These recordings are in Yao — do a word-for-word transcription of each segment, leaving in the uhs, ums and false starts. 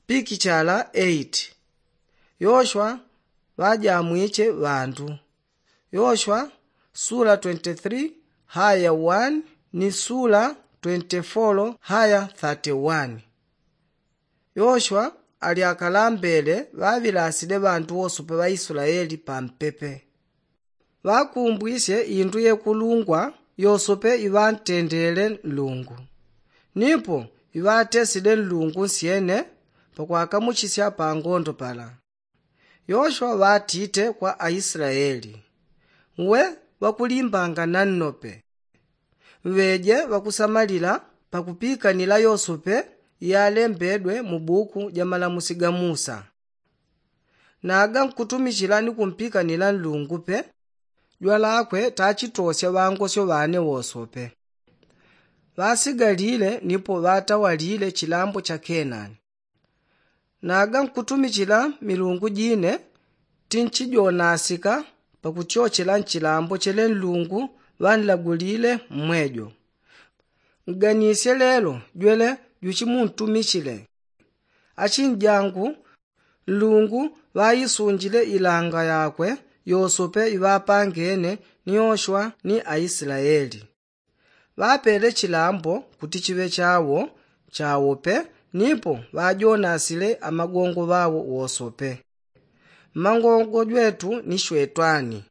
Pikichala eight. Yoshwa ŵajamwiche ŵandu. Yoshwa sula twenty-three haya one ni sula twenty-four haya thirty-one. Yoshwa ali akalambele ŵaŵilasile ŵandu wosope ŵa islaeli pampepe. Ŵakumbwisye indu yekulungwa yosope iŵantendele nlungu, nipo iŵatesile nlungu nsyene pakwakamuchisya pangondo pala. Yoshwa ŵatite kwa aislaeli, we ŵakulimbanga nannope, ŵeje ŵakusamalila pakupikanila yosope iyalembedwe mu buku ja malamusi ga musa. Naga nkutumichila ni kumpikanila nlungu pe, jwalakwe tachitosya ŵangosyo ŵane wosope. Ŵasigalile nipo ŵatawalile chilambo cha kenani. Naga nkutumichila milungu jine tinchijonasika pakutyochela nchilambo chele nlungu ŵanlagulile mmwejo. Nganisye lelo jwele juchimuntumichile. Achinjangu, nlungu ŵaisunjile ilanga yakwe yosope iŵapangene ni yoshwa ni aislaeli. Ŵapele chilambo kuti chiŵe chawo chawo pe, nipo ŵajonasile amagongo ŵawo wosope. Mmangongo jwetu ni shwetwani.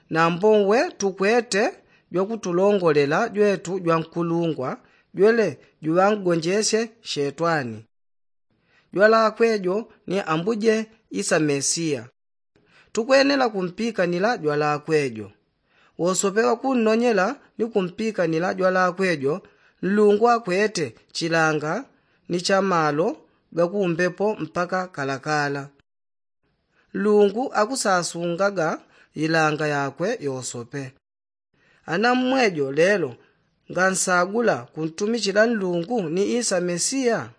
Nambo nwe tukwete jwakutulongolela jwetu jwankulungwa jwele juŵangonjesye shetwani. Jwalakwe jo ni ambuje isa mesiya. Tukwenela kumpikanila jwalakwe jo. Wosope ŵakunnonyela ni kumpikanila jwalakwe jo nlungu akwete chilanga ni chamalo gakumbepo mpaka kalakala. Nlungu akusasungaga ilanga yakwe yosope. Ana mmwejo lelo ngansagula kuntumichila nlungu ni isa mesiya?